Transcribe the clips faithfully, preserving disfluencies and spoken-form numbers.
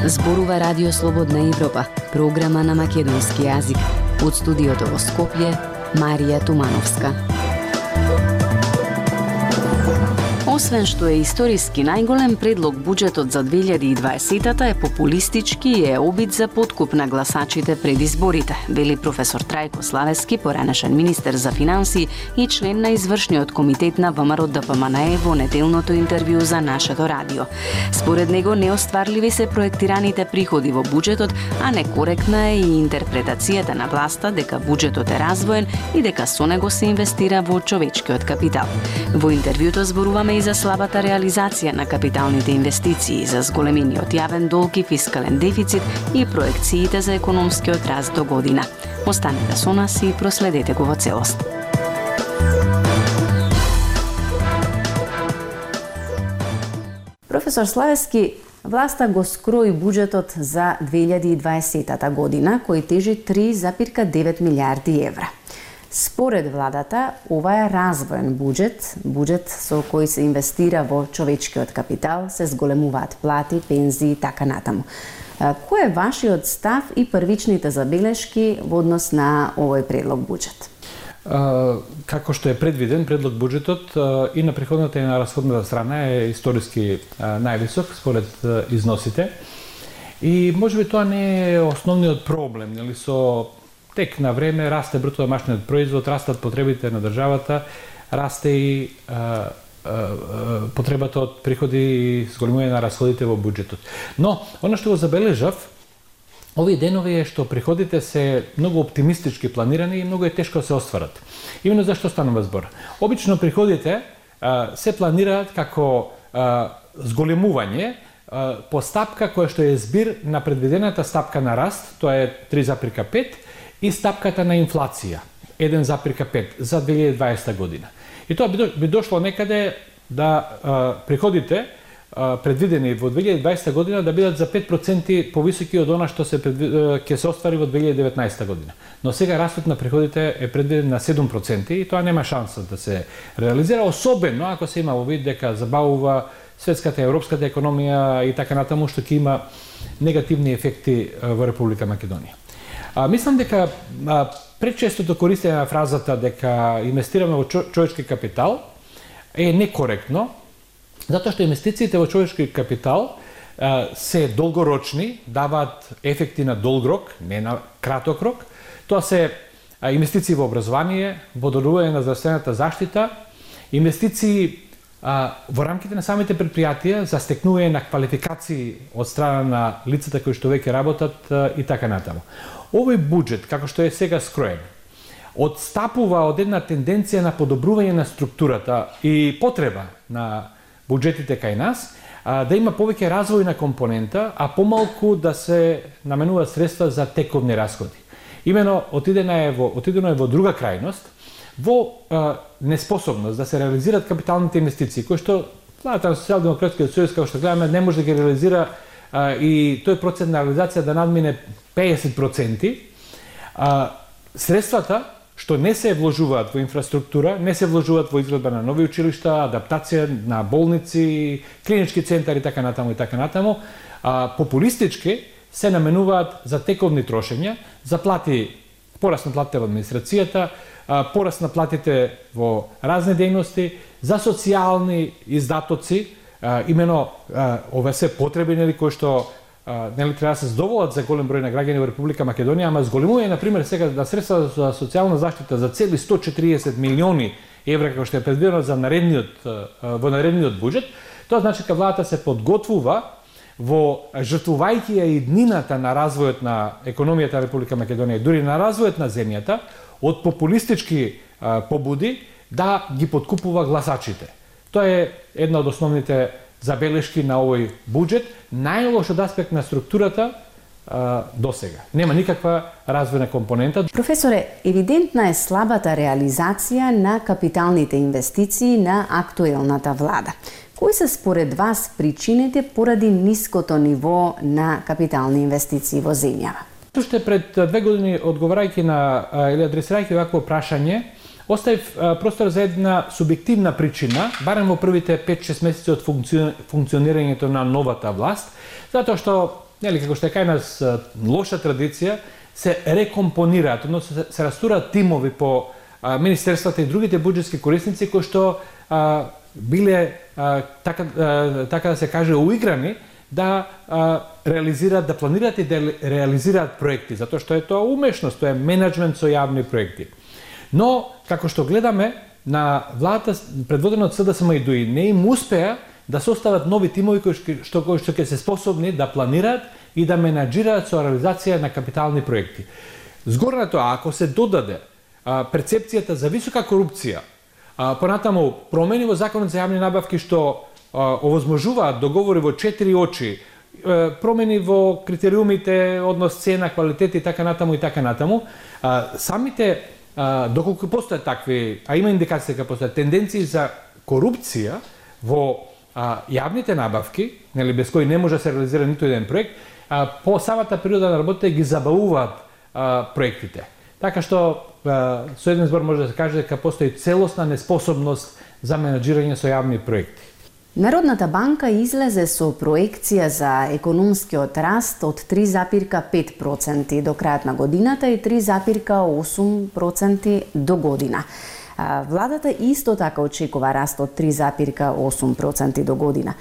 Зборува Радио Слободна Европа, програма на македонски јазик. Од студиото во Скопје, Марија Тумановска. Освен што е историски најголем, предлог буџетот за две илјади и дваесета е популистички и е обид за подкуп на гласачите пред изборите, вели професор Трајко Славески, поранешен министер за финансии и член на извршниот комитет на ВМРО Д П М Н Е во неделното интервју за нашето радио. Според него неостварливи се проектираните приходи во буџетот, а некоректна е и интерпретацијата на власта дека буџетот е развоен и дека со него се инвестира во човечкиот капитал. Во интервјуто зборуваме и за слабата реализација на капиталните инвестиции, за зголемениот јавен долг и фискален дефицит и проекциите за економскиот раст до година. Останете со нас и проследете го во целост. Професор Славески, власта го скрои буџетот за две илјади и дваесета година, кој тежи три запирка девет милијарди евра. Според владата, ова е развоен буџет, буџет со кој се инвестира во човечкиот капитал, се зголемуваат плати, пензии и така натаму. Кој е вашиот став и првичните забелешки во однос на овој предлог буџет? Како што е предвиден, предлог буџетот и на приходната и на расходната страна е историски највисок според износите. И можеби тоа не е основниот проблем, нели, со тек на време расте бруто домашниот производ, растат потребите на државата, расте и а, а, потребата од приходи и зголемување на расходите во буџетот. Но, оно што го забележав, овие денови е што приходите се многу оптимистички планирани и многу е тешко да се остварат. Именно зашто станува збор. Обично приходите а, се планираат како а, зголемување а, по стапка која што е збир на предвидената стапка на раст, тоа е три запирка пет, и стапката на инфлација еден запирка пет за две илјади и дваесета година. И тоа би дошло некаде да а, приходите а, предвидени во две илјади и дваесета година да бидат за пет проценти повисоки од она што се ќе се оствари во две илјади и деветнаесета година. Но сега растот на приходите е предвиден на седум проценти и тоа нема шанса да се реализира, особено ако се има во вид дека забавува светската и европската економија и така натаму, што ќе има негативни ефекти во Република Македонија. А, мислам дека а, пречестото користење на фразата дека инвестираме во човечки капитал е некоректно, затоа што инвестициите во човечки капитал а, се долгорочни, даваат ефекти на долг рок, не на краток рок. Тоа се а, инвестиции во образование, подобрување на здравствената заштита, инвестиции а, во рамките на самите предпријатија за стекнување на квалификации од страна на лицата кои што веќе работат а, и така натаму. Овој буџет, како што е сега скроен, одстапува од една тенденција на подобрување на структурата и потреба на буџетите кај нас, а, да има повеќе развојна компонента, а помалку да се наменуваат средства за тековни расходи. Имено отидено е во, отидено е во друга крајност, во а, неспособност да се реализираат капиталните инвестиции, кои што владата на Социјалдемократскиот сојуз, како што гледаме, не може да ги реализира а, и тој процент на реализација да надмине педесет проценти. А, средствата што не се вложуваат во инфраструктура, не се вложуваат во изградба на нови училишта, адаптација на болници, клинички центари и така натаму и така натаму, а, популистички се наменуваат за тековни трошења, за плати, пораст на платите во администрацијата, пораст на платите во разни дејности, за социјални издатоци, а, имено а, ове се потреби, нели, кои што а, нели треба да се задоволат за голем број на граѓани во Република Македонија, ама зголемување на пример сега на средства за социјална заштита за цели сто четириесет милиони евра како што е предвидено за наредниот во наредниот буџет, тоа значи дека владата се подготвува во жртвувајќи ја иднината на развојот на економијата на Република Македонија, дури на развојот на земјата, од популистички а, побуди да ги подкупува гласачите. Тоа е една од основните забелешки на овој буџет, најлош од аспект на структурата а, до сега. Нема никаква развојна компонента. Професоре, евидентна е слабата реализација на капиталните инвестиции на актуелната влада. Кои се според вас причините поради ниското ниво на капитални инвестиции во земјава? Уште пред две години, одговарајќи на или адресирајќи вакво прашање, оставив простор за една субјективна причина, барем во првите пет-шест месеци од функционирањето на новата власт, затоа што нели како што е кај нас лоша традиција, се рекомпонираат, односно се, се растураат тимови по а, министерствата и другите буџетски корисници кои што а, биле а, така, а, така да се каже уиграни да а, реализираат, да планираат и да реализираат проекти, затоа што е тоа умешност, тоа е менеджмент со јавни проекти. Но како што гледаме на владата предводена од СДСМ и ДУИ не им успеа да состават нови тимови кои што кои што ќе се способни да планираат и да менаџираат со реализација на капитални проекти. Згоре на тоа, ако се додаде а, перцепцијата за висока корупција, а, понатаму промени во законот за јавни набавки што а, овозможуваат договори во четири очи, а, промени во критериумите, однос цена, квалитет и така натаму и така натаму, а, самите а, доколку постојат такви, а има индикации дека постојат тенденции за корупција во а, јавните набавки, нели без кои не може да се реализира ниту еден проект, а, по самата природа на работа ги забавуваат а, проектите. Така што а, со еден збор може да се каже дека постои целосна неспособност за менаџирање со јавни проекти. Народната банка излезе со проекција за економскиот раст од три запирка пет проценти до крајот на годината и три запирка осум проценти до година. Владата исто така очекува раст од три запирка осум проценти до година.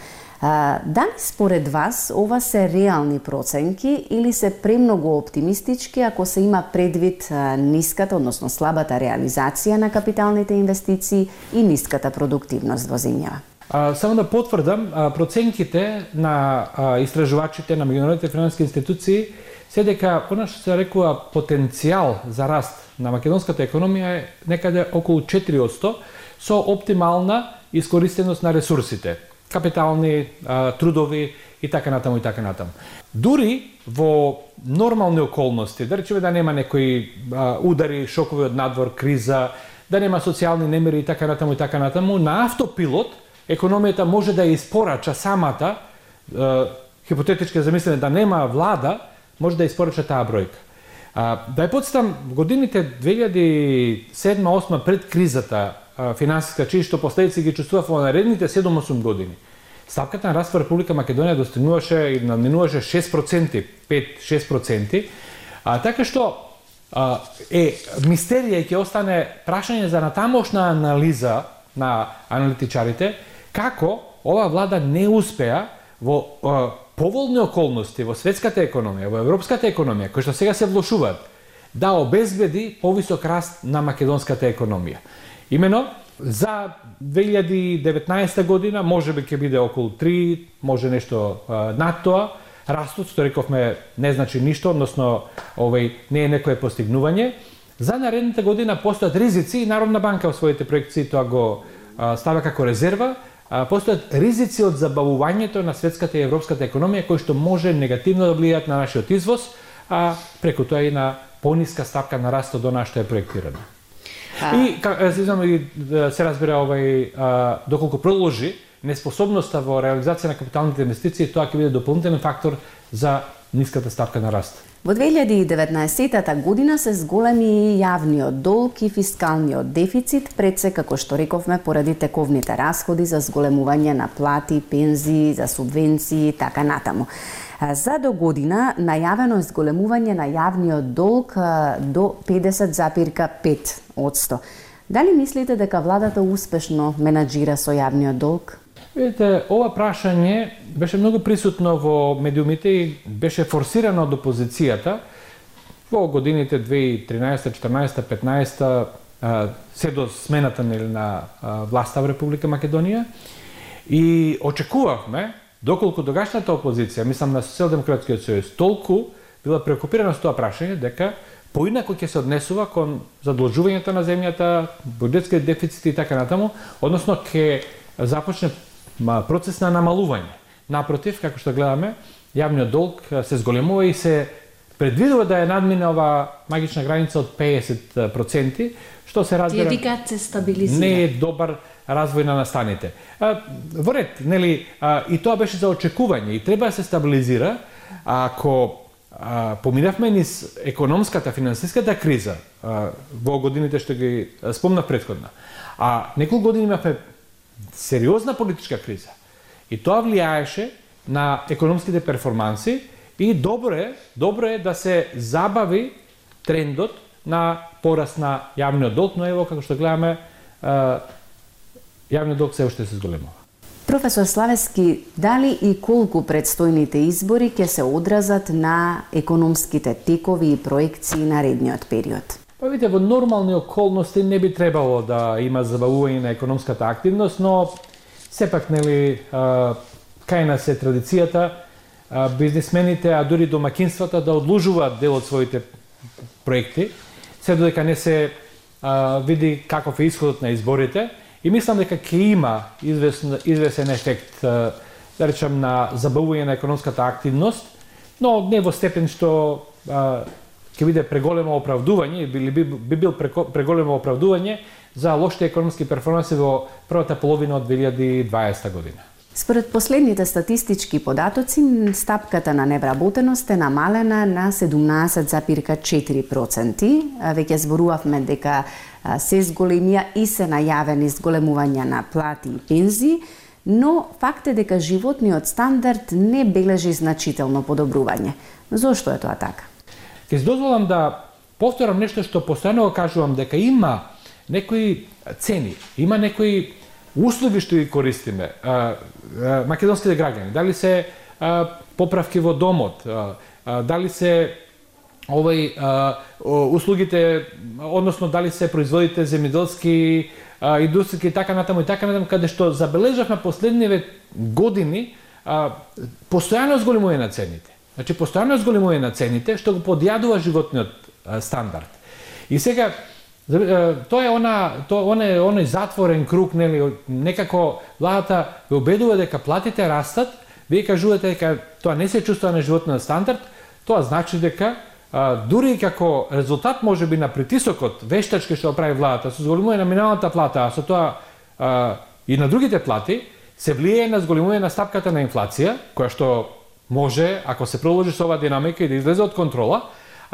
Дали според вас ова се реални проценки или се премногу оптимистички ако се има предвид ниската, односно слабата реализација на капиталните инвестиции и ниската продуктивност во земјава? А, само да потврдам, а, проценките на а, истражувачите на меѓународните финансиски институции се дека она што се рекува потенцијал за раст на македонската економија е некаде околу четири одсто со оптимална искористеност на ресурсите, капитални, а, трудови и така натаму и така натаму. Дури во нормални околности, да речеме да нема некои а, удари, шокови од надвор, криза, да нема социјални немири и така натаму и така натаму, на автопилот економијата може да ја испорача самата, е, хипотетички замислено да нема влада, може да испорача таа бројка. А, да ја подсетам, годините две илјади и седма осма пред кризата а, финансиска, чии што последици ги чувствував во наредните седум-осум години, стапката на раст во Република Македонија достигнуваше и надминуваше шест проценти, пет-шест проценти, а, така што а, е мистерија и ќе остане прашање за натамошна анализа на аналитичарите, како ова влада не успеа во е, поволни околности во светската економија, во европската економија, кои што сега се влошуваат, да обезбеди повисок раст на македонската економија. Имено, за две илјади и деветнаесета година можеби ќе биде околу три, може нешто е, над тоа. Растот, што рековме, не значи ништо, односно овој не е некое постигнување. За наредната година постојат ризици и Народна банка во своите проекции тоа го а, става како резерва. А, постојат ризици од забавувањето на светската и европската економија кои што може негативно да влијаат на нашиот извоз, а преку тоа и на пониска стапка на растот до нашто е проектирано. А... И се се разбира овај а, доколку продолжи неспособноста во реализација на капиталните инвестиции, тоа ќе биде дополнителен фактор за ниската стапка на раст. Во две илјади и деветнаесета година се зголеми јавниот долг и фискалниот дефицит, пред се, како што рековме, поради тековните расходи за зголемување на плати, пензии, за субвенции и така натаму. За до година најавено е зголемување на јавниот долг до педесет запирка пет одсто. Дали мислите дека владата успешно менаџира со јавниот долг? Видите, ова прашање беше многу присутно во медиумите и беше форсирано од опозицијата во годините две илјади и тринаесета, четрнаесета, петнаесета, се до смената на власта во Република Македонија. И очекувавме, доколку тогашната опозиција, мислам на Социјалдемократскиот сојуз, толку била преокупирана со тоа прашање, дека поинако ќе се однесува кон задолжувањето на земјата, буџетските дефицити и така натаму, односно ќе започне процес на намалување. Напротив, како што гледаме, јавниот долг се зголемува и се предвидува да ја надмине ова магична граница од педесет проценти, што се разбира се стабилизира. Не е добар развој на настаните. Во ред, нели, и тоа беше за очекување и треба да се стабилизира ако а, поминавме низ економската, финансиската криза а, во годините што ги спомнав претходно. А неколку години имавме сериозна политичка криза. И тоа влијаеше на економските перформанси И добро е, добро е да се забави трендот на пораст на јавниот долг, но ево како што гледаме, јавниот долг се уште се зголемува. Професор Славевски, дали и колку предстојните избори ќе се одразат на економските текови и проекции на наредниот период? Па видите, во нормални околности не би требало да има забавување на економската активност, но сепак, нели, кај нас е традицијата бизнисмените, а дури домакинствата да одложуваат дел од своите проекти, се додека не се а, види каков е исходот на изборите, и мислам дека ќе има известен, известен ефект, а, да речем, на забавување на економската активност, но не во степен што а, ќе биде преголемо оправдување, или би, би бил преголемо оправдување за лошите економски перформанси во првата половина од две илјади и дваесета година. Според последните статистички податоци, стапката на невработеност е намалена на седумнаесет запирка четири проценти. Веќе зборувавме дека се зголемија и се најавени зголемувања на плати и пензии, но факт е дека животниот стандард не бележи значително подобрување. Зошто е тоа така? Ќе си дозволам да повторам нешто што постојано кажувам, дека има некои цени, има некои услуги што ги користиме, а, а, македонските граѓани, дали се а, поправки во домот, а, а, дали се овој а, услугите, односно дали се производите земјоделски, а, индустријски и така натаму и така натаму, каде што забележавме последниве години а, постојано зголемување на цените. Значи постојано зголемување на цените што го подјадува животниот а, стандард. И сега тоа е она, тоа оне оној затворен круг, нели, некако владата ве убедува дека платите растат, вие кажувате дека тоа не се чувствува на животниот стандард, тоа значи дека а, дури како резултат можеби на притисокот вештачки што прави владата со зголемување на минималната плата, а со тоа а, и на другите плати, се влијае на зголемување на стапката на инфлација, која што може, ако се продолжи со оваа динамика, и да излезе од контрола,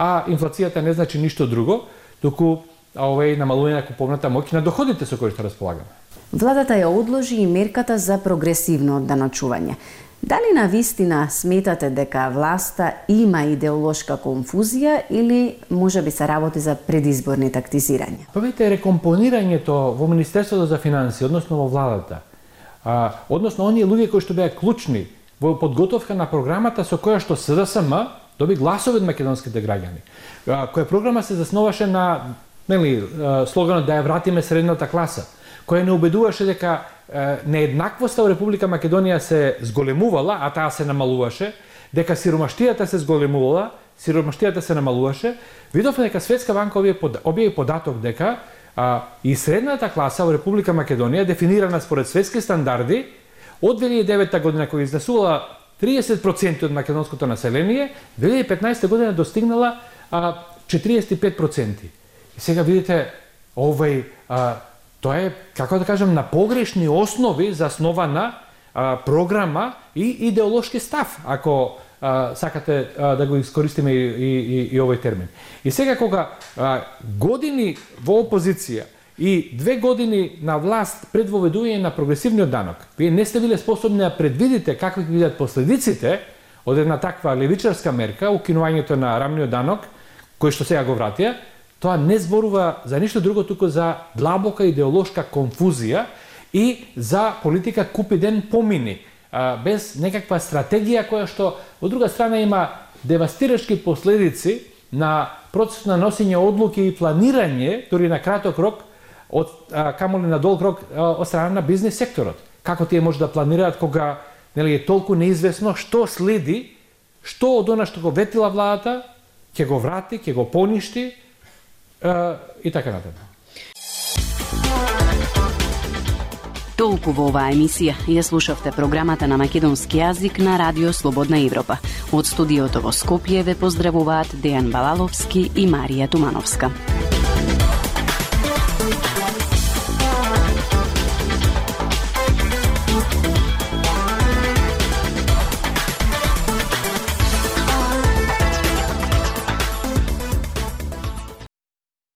а инфлацијата не значи ништо друго, туку а овој намалување на куповната моќ на доходите со кои што располагаме. Владата ја одложи и мерката за прогресивно одданочување. Дали на вистина сметате дека власта има идеолошка конфузија или може би се работи за предизборни тактизирања? Па видите, рекомпонирањето во Министерството за финансии, односно во владата, а, односно оние луѓе кои што беа клучни во подготовка на програмата со која што СДСМ доби гласови од македонските граѓани, а, која програма се засноваше на, нели, слоганот да ја вратиме средната класа, која не убедуваше дека нееднаквоста во Република Македонија се зголемувала, а таа се намалуваше, дека сиромаштијата се зголемувала, сиромаштијата се намалуваше, видовме дека Светска банка објави податок дека а, и средната класа во Република Македонија, дефинирана според светски стандарди, од две илјади и девета година која изнесувала триесет проценти од македонското население, две илјади и петнаесета година достигнала а, четириесет и пет проценти. И сега видите, овој, а, тоа е, како да кажам, на погрешни основи заснована а, програма и идеолошки став, ако а, сакате а, да го искористиме и, и, и, и овој термин. И сега кога а, години во опозиција и две години на власт пред воведување на прогресивниот данок, вие не сте биле способни да предвидите какви ќе бидат последиците од една таква левичарска мерка, укинувањето на рамниот данок, кој што сега го вратија, тоа не зборува за ништо друго, туку за длабока идеолошка конфузија и за политика купи ден помини, без некаква стратегија која што, од друга страна, има девастирачки последици на процесот на носење одлуки и планирање, дури на краток рок, од камоли на долг рок од страна на бизнис секторот. Како тие може да планираат кога, нели, е толку неизвестно што следи, што од она што го ветила владата, ќе го врати, ќе го поништи, и така натаму. Толку во оваа емисија. Ја слушавте програмата на македонски јазик на Радио Слободна Европа. Од студиото во Скопје ве поздравуваат Дејан Балаловски и Марија Тумановска.